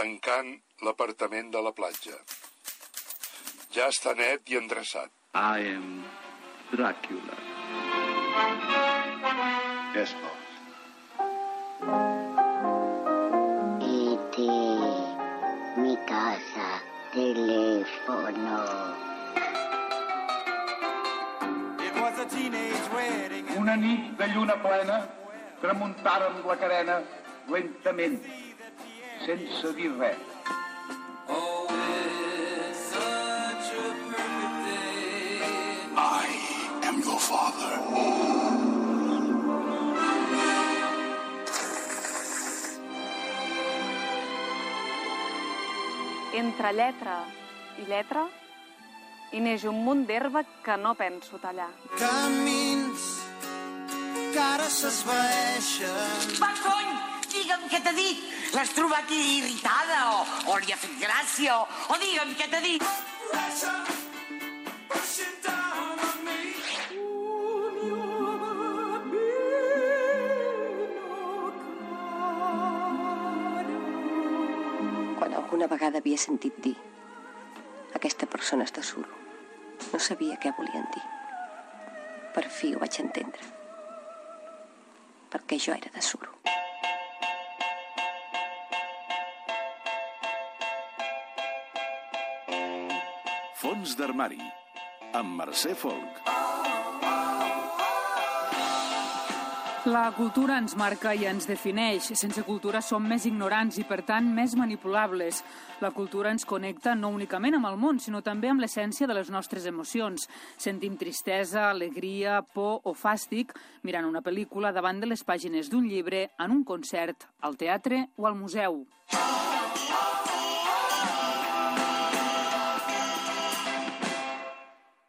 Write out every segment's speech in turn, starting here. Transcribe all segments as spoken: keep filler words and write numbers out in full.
tancant l'apartament de la platja. Ja està net i endreçat. I am Dràcula. Yes, boss. Este, mi casa, teléfono. Una nit de lluna plena tramuntàrem la carena lentament, sense dir res. I am your father. Entre lletra i lletra hi neix un munt d'herba que no penso tallar. Camins que ara s'esvaeixen. Va, cony! Digue'm què t'ha dit. L'has trobat irritada o, o li ha fet gràcia o, o digue'm què t'ha dit. Quan alguna vegada havia sentit dir aquesta persona és de suro, no sabia què volien dir. Per fi ho vaig entendre. Perquè jo era de suro. Fons d'armari, amb Mercè Folk. La cultura ens marca i ens defineix. Sense cultura som més ignorants i, per tant, més manipulables. La cultura ens connecta no únicament amb el món, sinó també amb l'essència de les nostres emocions. Sentim tristesa, alegria, por o fàstic mirant una pel·lícula davant de les pàgines d'un llibre, en un concert, al teatre o al museu.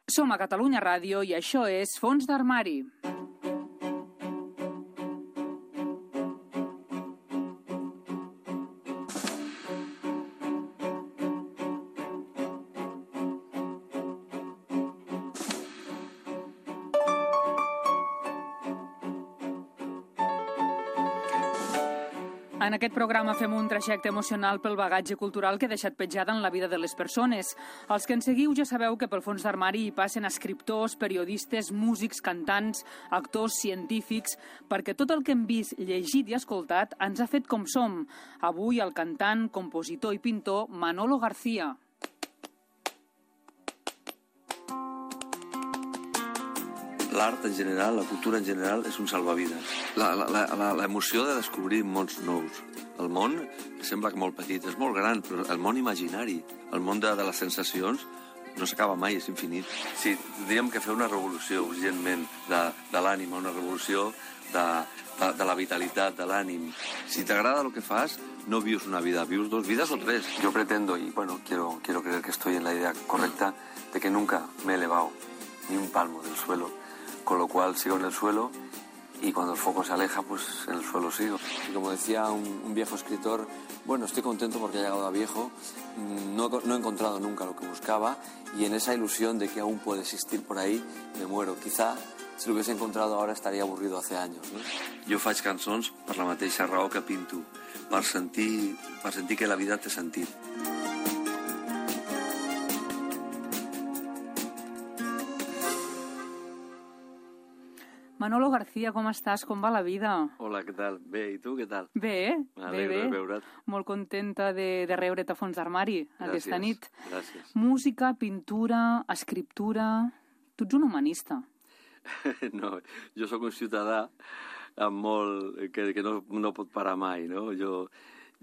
Som a Catalunya Ràdio i això és Fons d'armari. En aquest programa fem un trajecte emocional pel bagatge cultural que ha deixat petjada en la vida de les persones. Els que ens seguiu ja sabeu que pel fons d'armari hi passen escriptors, periodistes, músics, cantants, actors, científics, perquè tot el que hem vist, llegit i escoltat ens ha fet com som. Avui el cantant, compositor i pintor Manolo García. L'art en general, la cultura en general, és un salvavides. L'emoció de descobrir mons nous. El món sembla que molt petit, és molt gran, però el món imaginari, el món de, de les sensacions, no s'acaba mai, és infinit. Sí, diríem que fer una revolució urgentment de, de l'ànima, una revolució de, de, de la vitalitat, de l'ànim. Si t'agrada el que fas, no vius una vida, vius dos vidas o tres. Yo pretendo, y bueno, quiero, quiero creer que estoy en la idea correcta, de que nunca me he elevado ni un palmo del suelo, con lo cual sigo en el suelo y cuando el foco se aleja, pues en el suelo sigo. Y como decía un, un viejo escritor, bueno, estoy contento porque he llegado a viejo, no, no he encontrado nunca lo que buscaba y en esa ilusión de que aún puede existir por ahí, me muero. Quizá, si lo hubiese encontrado ahora, estaría aburrido hace años, no? Jo faig cançons per la mateixa raó que pinto, per sentir, per sentir que la vida té sentit. Manolo García, com estàs? Com va la vida? Hola, què tal? Bé, i tu, què tal? Bé, bé, bé. de veure't. Molt contenta de, de reure't a Fons d'armari aquesta nit. Gràcies. Música, pintura, escriptura... Tu ets un humanista. No, jo sóc un ciutadà amb molt... que, que no, no pot parar mai, no? Jo,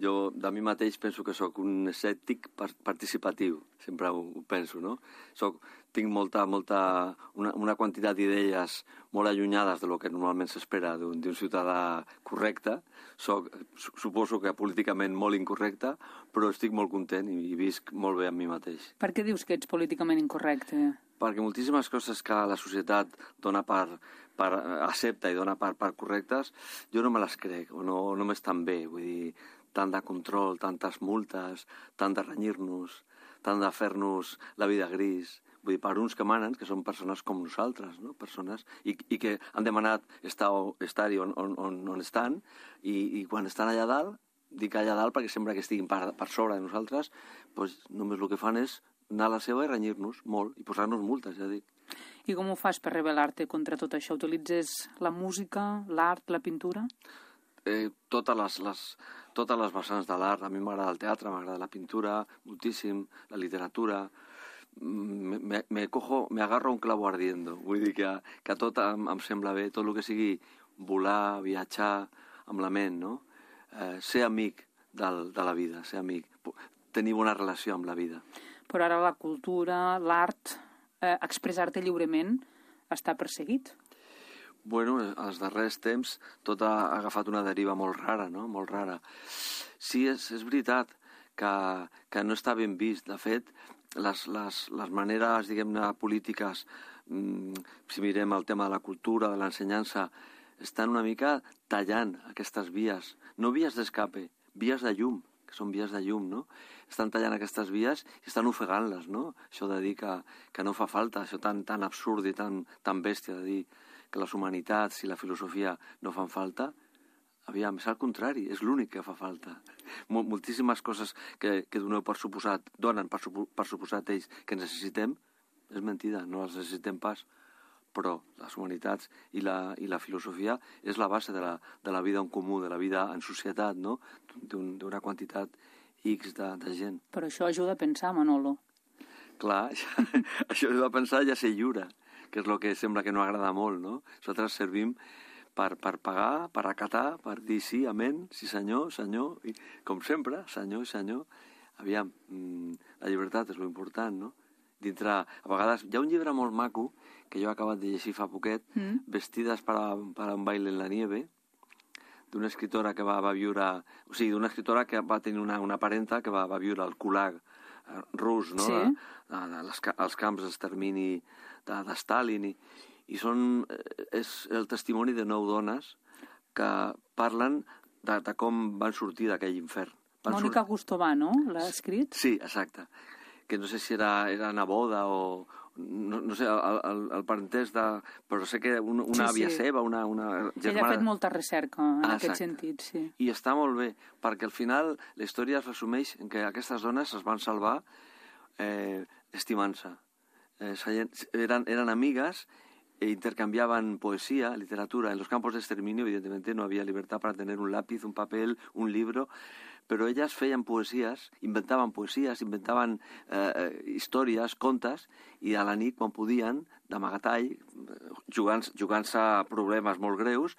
jo de mi mateix penso que sóc un escèptic participatiu, sempre ho, ho penso, no? Soc, tinc molta, molta, una, una quantitat d'idees molt allunyades de lo que normalment s'espera d'un ciutadà correcte. Soc, suposo que políticament molt incorrecte, però estic molt content i, i visc molt bé amb mi mateix. Per què dius que ets políticament incorrecte? Perquè moltíssimes coses que la societat dona per, per accepta i dona per, per correctes, jo no me les crec, o no, no m'estan bé. Vull dir, tant de control, tantes multes, tant de renyir-nos, tant de fer-nos la vida gris. Vull dir, per uns que manen, que són persones com nosaltres, no? Persones, i, i que han demanat estar-hi estar on, on, on estan, i, i quan estan allà dalt dic allà dalt perquè sembla que estiguin per, per sobre de nosaltres, doncs només el que fan és anar a la seva i renyir-nos molt, i posar-nos multes, ja dic. I com ho fas per rebel·lar-te contra tot això? Utilitzes la música, l'art, la pintura? Eh, totes, les, les, totes les vessants de l'art. A mi m'agrada el teatre, m'agrada la pintura, moltíssim, la literatura. Me, me, me, cojo, me agarro un clavo ardiendo. Vull dir que, que tot em, em sembla bé, tot el que sigui volar, viatjar amb la ment, no? Eh, ser amic del, de la vida, ser amic, tenir bona relació amb la vida. Però ara la cultura, l'art, eh, expressar-te lliurement està perseguit. Bueno, als darrers temps tot ha agafat una deriva molt rara, no? Molt rara. Sí, és, és veritat que, que no està ben vist. De fet, les, les, les maneres, diguem-ne, polítiques, mmm, si mirem el tema de la cultura, de l'ensenyança, estan una mica tallant aquestes vies. No vies d'escape, vies de llum, que són vies de llum, no? Estan tallant aquestes vies i estan ofegant-les, no? Això de dir que, que no fa falta, això tan, tan absurd i tan, tan bèstia de dir que les humanitats i la filosofia no fan falta, aviam, és al contrari, és l'únic que fa falta. Mol, moltíssimes coses que, que doneu per suposat, donen per, supo, per suposat ells que necessitem, és mentida, no les necessitem pas, però les humanitats i la, i la filosofia és la base de la, de la vida en comú, de la vida en societat, no? D'un, d'una quantitat X de, de gent. Però això ajuda a pensar, Manolo. Clar, ja, això ajuda a pensar i a ser lliure, que és el que sembla que no agrada molt, no? Nosaltres servim per, per pagar, per acatar, per dir sí, amén, sí senyor, senyor, i com sempre, senyor i senyor. Aviam, la llibertat és l'important, no? Dintre, a vegades, hi ha un llibre molt maco que jo he acabat de llegir fa poquet, mm. Vestides per a, per a un baile en la nieve, d'una escritora que va, va viure... O sigui, d'una escritora que va tenir una, una parenta que va, va viure al Gulag rus, no? Sí. De, de, de les, els camps d'extermini de, de Stalin. I, i són, és el testimoni de nou dones que parlen de, de com van sortir d'aquell infern. Van Mònica sur... Gustovà, no? L'ha escrit? Sí, exacte. Que no sé si era, era neboda o... No, no sé, el, el, el parentès de... Però sé que una, una sí, àvia sí. seva, una, una germana... Ella ha fet molta recerca en ah, aquest sentit, sí. I està molt bé, perquè al final la història es resumeix en que aquestes dones es van salvar eh, estimant-se. Eh, eren, eren amigues e intercambiaban poesía, literatura. En los campos de exterminio, evidentemente, no había libertad para tener un lápiz, un papel, un libro... Però elles feien poesies, inventaven poesies, inventaven eh, històries, contes, i a la nit, quan podien, d'amagatall, jugant, jugant-se a problemes molt greus,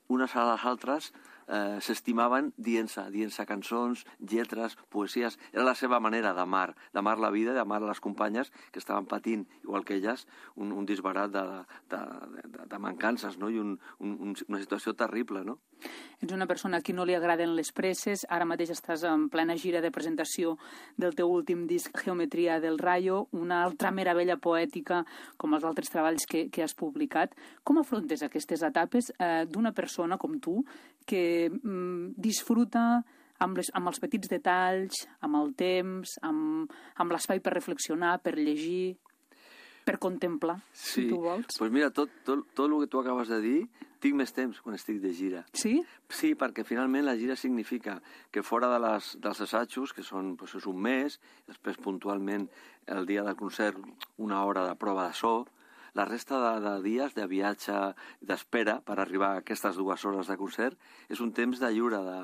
unes a les altres eh, s'estimaven dient-se, dient-se cançons, lletres, poesies. Era la seva manera d'amar, d'amar la vida, d'amar les companyes que estaven patint, igual que elles, un, un disbarat de, de, de, de mancances, no? I un, un, una situació terrible, no? Ets una persona a qui no li agraden les presses, ara mateix estàs en plena gira de presentació del teu últim disc Geometria del Rayo, una altra meravella poètica com els altres treballs que, que has publicat. Com afrontes aquestes etapes eh, d'una persona com tu que mm, disfruta amb, les, amb els petits detalls, amb el temps, amb, amb l'espai per reflexionar, per llegir, per contemplar, sí. Si tu vols? Pues mira, tot, tot, tot el que tu acabes de dir, tinc més temps quan estic de gira. Sí? Sí, perquè finalment la gira significa que fora de les, dels assajos, que són pues, és un mes, després puntualment el dia del concert una hora de prova de so, la resta de, de dies de viatge, d'espera per arribar a aquestes dues hores de concert, és un temps de lliure, de,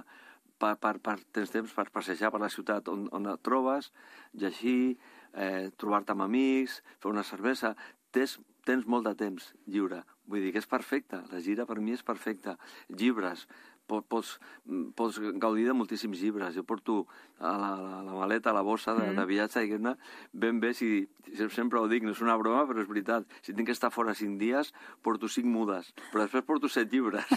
per, per, per, tens temps per passejar per la ciutat on, on et trobes, llegir, eh, trobar-te amb amics, fer una cervesa. Tens, tens molt de temps lliure. Vull dir que és perfecte. La gira per mi és perfecta. Llibres. Pots, pots gaudir de moltíssims llibres. Jo porto a la, la, la maleta, a la bossa de, de viatge, diguem-ne, ben bé, si, sempre ho dic, no és una broma, però és veritat. Si tinc que estar fora cinc dies, porto cinc mudes, però després porto set llibres.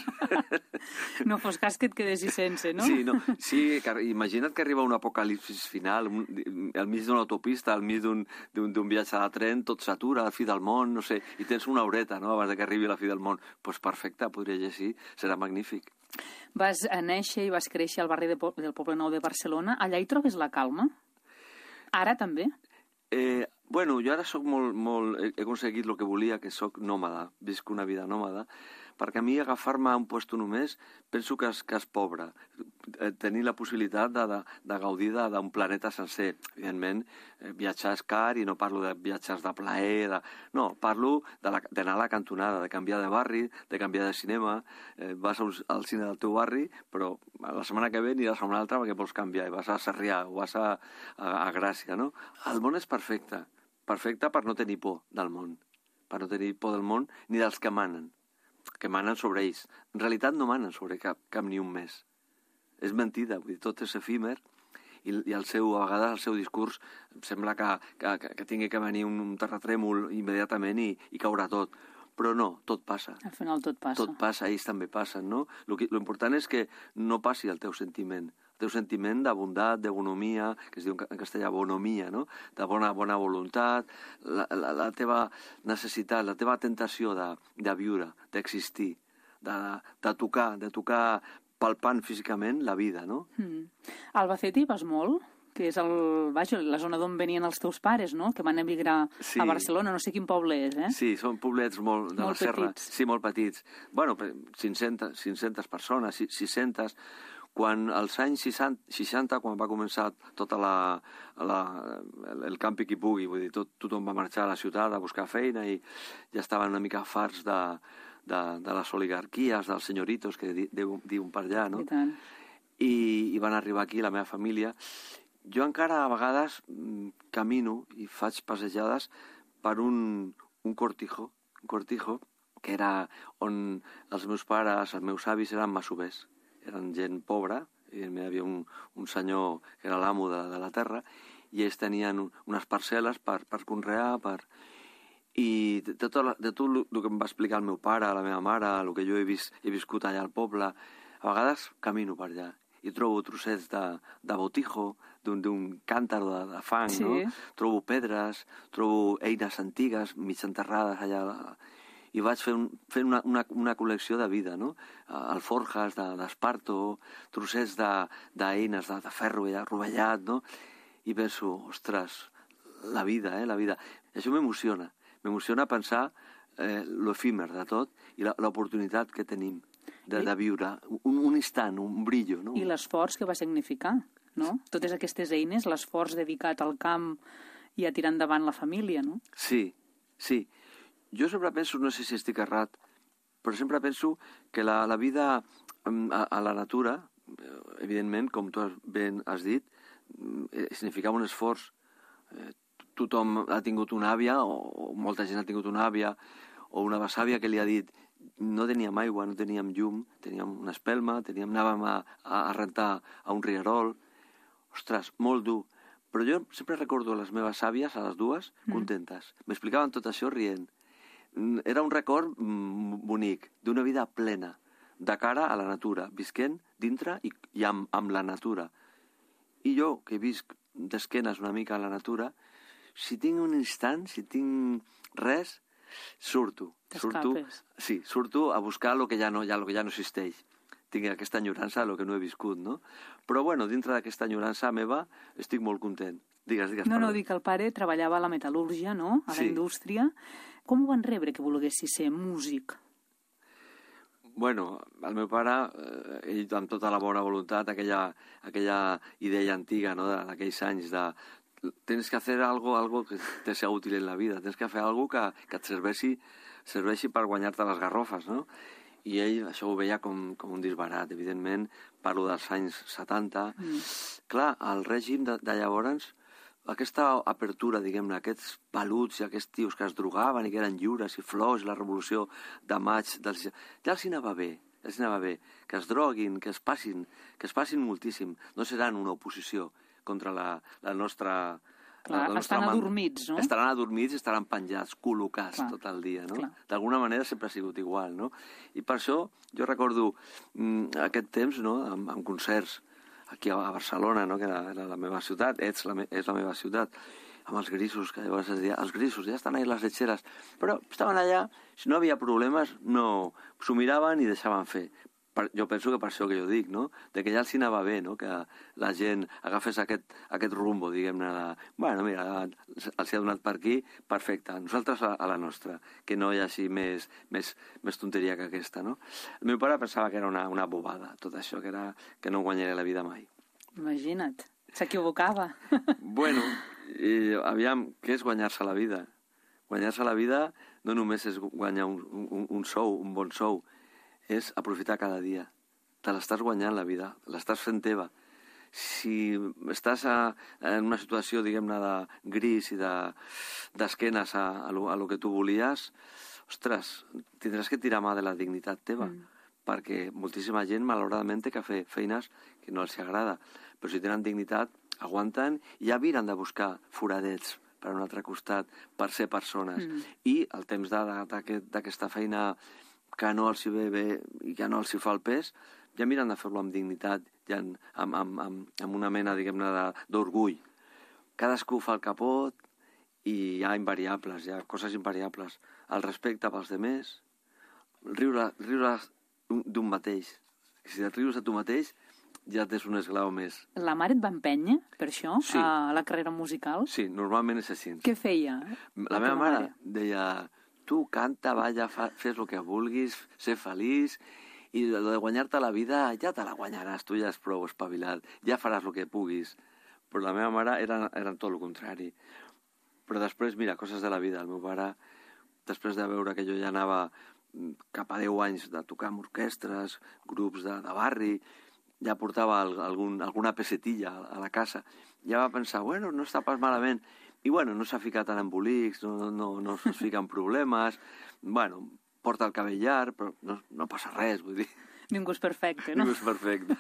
No fos cas que et quedessis sense, no? Sí, no, sí, imagina't que arriba un apocalipsis final, un, al mig d'una autopista, al mig d'un viatge de tren, tot s'atura, a la fi del món, no sé, i tens una horeta, no?, abans que arribi la fi del món. Doncs pues perfecte, podria llegir, serà magnífic. Vas néixer i vas créixer al barri de, del Poble Nou de Barcelona. Allà hi trobes la calma? Ara també? Eh, bueno, jo ara soc molt, molt... He aconseguit el que volia, que soc nòmada. Visc una vida nòmada, perquè a mi agafar-me a un puesto només penso que és, que és pobre. Tenir la possibilitat de, de, de gaudir d'un planeta sencer. Evidentment, viatjar és car i no parlo de viatges de plaer, de... no, parlo d'anar a la cantonada, de canviar de barri, de canviar de cinema. Eh, vas un, al cine del teu barri, però la setmana que ve aniràs a una altra perquè vols canviar, i vas a Sarrià o vas a, a, a Gràcia, no? El món és perfecte, perfecte per no tenir por del món, per no tenir por del món ni dels que manen, que manen sobre ells. En realitat no manen sobre cap, cap ni un més. És mentida, vull dir, tot és efímer i, i el seu, a vegades el seu discurs sembla que, que, que tingui que venir un, un terratrèmol immediatament i, i caurà tot. Però no, tot passa. Al final tot passa. Tot passa, ells també passen, no? L'important és que no passi el teu sentiment. El teu sentiment de bondat, de bonomia, que es diu en castellà bonomia, no? De bona, bona voluntat, la, la, la teva necessitat, la teva tentació de, de viure, d'existir, de, de tocar, de tocar palpant físicament la vida, no? Mm. A Albacete hi vas molt? Que és el, vaja, la zona d'on venien els teus pares, no? Que van emigrar sí. a Barcelona, no sé quin poble és, eh? Sí, són poblets molt de molt la serra. petits. Sí, molt petits. Bueno, cinc-centes, cinc-centes persones, sis-centes. Quan als anys seixanta, quan va començar tota la, la, el campi qui pugui, vull dir, tot, tothom va marxar a la ciutat a buscar feina i ja estaven una mica farts de, de, de les oligarquies, dels senyoritos que di, diuen per allà, no? I tant. I, i van arribar aquí, la meva família. Jo encara a vegades camino i faig passejades per un, un cortijo, un cortijo que era on els meus pares, els meus avis eren masovers. Eren gent pobra, i hi havia un, un senyor que era l'amo de, de la terra, i ells tenien unes parcel·les per, per conrear, per... i de tot, de tot el que em va explicar el meu pare, la meva mare, el que jo he, vist, he viscut allà al poble, a vegades camino per allà i trobo trossets de, de botijo, d'un càntar de, de fang, sí. no? Trobo pedres, trobo eines antigues, mig enterrades allà, i vaig fent, fent una, una, una col·lecció de vida, no? Alforjas d'esparto, trossets d'eines de, de, de ferro rovellat, no? I penso, ostres, la vida, eh, la vida. I això m'emociona, m'emociona pensar eh, l'efímer de tot i l'oportunitat que tenim de, de viure, un, un instant, un brillo, no? I l'esforç que va significar, no? Totes aquestes eines, l'esforç dedicat al camp i a tirar endavant la família, no? Sí, sí. Jo sempre penso, no sé si estic errat, però sempre penso que la, la vida a, a la natura, evidentment, com tu ben has dit, significava un esforç. Eh, tothom ha tingut una àvia, o, o molta gent ha tingut una àvia, o una besàvia que li ha dit no teníem aigua, no teníem llum, teníem una espelma, teníem, anàvem a, a rentar a un rierol. Ostres, molt dur. Però jo sempre recordo a les meves àvies, a les dues, contentes. Mm. M'explicaven tot això rient. Era un record bonic, d'una vida plena, de cara a la natura, visquent dintre i, i amb, amb la natura. I jo, que visc d'esquenes una mica a la natura, si tinc un instant, si tinc res, surto. Surto, sí, surto a buscar el que ja no, ja, lo que ja no existeix. Tinc aquesta enyorança del que no he viscut, no? Però, bueno, dintre d'aquesta enyorança meva estic molt content. Digues, digues. No, no, dic que el pare treballava a la metal·lúrgia, no?, a la sí. indústria. Com ho van rebre que volguessis ser músic? Bueno, el meu pare, eh, ell amb tota la bona voluntat, aquella, aquella idea antiga, no?, d'aquells anys de tens que fer algo, algo que te sea útil en la vida, tens que fer algo que, que et serveixi, serveixi per guanyar-te les garrofes, no? I ell això ho veia com, com un disbarat, evidentment, parlo dels anys setanta. Mm. Clar, el règim de, de llavors, aquesta apertura, diguem-ne, aquests peluts i aquests tios que es drogaven i que eren lliures i flors, la revolució de maig, dels... ja els hi anava bé, ja els hi anava bé, que es droguin, que es passin, que es passin moltíssim, no seran una oposició contra la, la nostra... Clar, la estan adormits, no? Estaran adormits i estaran penjats, col·locats Clar. tot el dia, no? D'alguna manera sempre ha sigut igual, no? I per això jo recordo mm, aquest temps, no?, amb, amb concerts aquí a Barcelona, no?, que era, era la meva ciutat, ets la me, és la meva ciutat, amb els grisos, que llavors es deia, els grisos, ja estan ahí les letxeres, però estaven allà, si no havia problemes, no, s'ho miraven i deixaven fer. per, jo penso que per això que jo dic, no? De que ja els hi anava bé, no? Que la gent agafés aquest, aquest rumbo, diguem-ne, de, bueno, mira, els ha donat per aquí, perfecte, nosaltres a, a la nostra, que no hi hagi més, més, més tonteria que aquesta, no? El meu pare pensava que era una, una bobada, tot això, que, era, que no guanyaria la vida mai. Imagina't, s'equivocava. Bueno, i, aviam, què és guanyar-se la vida? Guanyar-se la vida no només és guanyar un, un, un sou, un bon sou, és aprofitar cada dia. Te l'estàs guanyant la vida, l'estàs fent teva. Si estàs a, en una situació, diguem-ne, de gris i d'esquenes de, a, a, lo, a lo que tu volies, ostres, tindràs que tirar mà de la dignitat teva, mm. perquè moltíssima gent, malauradament, té que fer feines que no els agrada. Però si tenen dignitat, aguanten i ja miren de buscar foradets per un altre costat, per ser persones. Mm. I el temps d'aquesta feina que no els hi ve bé i que no els hi fa el pes, ja miren de fer-lo amb dignitat, ja amb, amb, amb, amb una mena, diguem-ne, d'orgull. Cadascú fa el que pot i hi ha invariables, hi ha coses invariables. El respecte pels demés, riure, riure d'un mateix. Si et rius de tu mateix, ja tens un esglau més. La mare et va empènyer, per això, sí. a la carrera musical? Sí, normalment és així. Què feia? La meva mare, mare deia, tu canta, balla, fa, fes el que vulguis, ser feliç, i de guanyar-te la vida ja te la guanyaràs, tu ja és prou espavilat, ja faràs el que puguis. Però la meva mare era, era tot el contrari. Però després, mira, coses de la vida. El meu pare, després de veure que jo ja anava cap a deu anys de tocar amb orquestres, grups de, de barri, ja portava algun, alguna pesetilla a la casa. Ja va pensar, bueno, no està pas malament. I, bueno, no s'ha ficat en embolics, no, no, no es fica en problemes. Bueno, porta el cabell llarg, però no, no passa res, vull dir. Ningú és perfecte, no? Ningú és perfecte.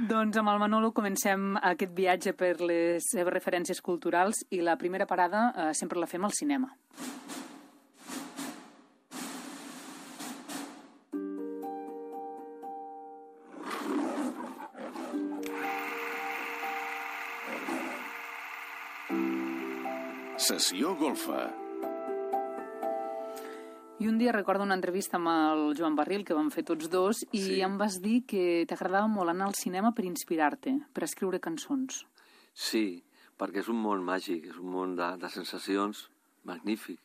Doncs amb el Manolo comencem aquest viatge per les seves referències culturals i la primera parada eh, sempre la fem al cinema. Sessió golfa. I un dia recordo una entrevista amb el Joan Barril, que vam fer tots dos, i sí. em vas dir que t'agradava molt anar al cinema per inspirar-te, per escriure cançons. Sí, perquè és un món màgic, és un món de, de sensacions magnífic.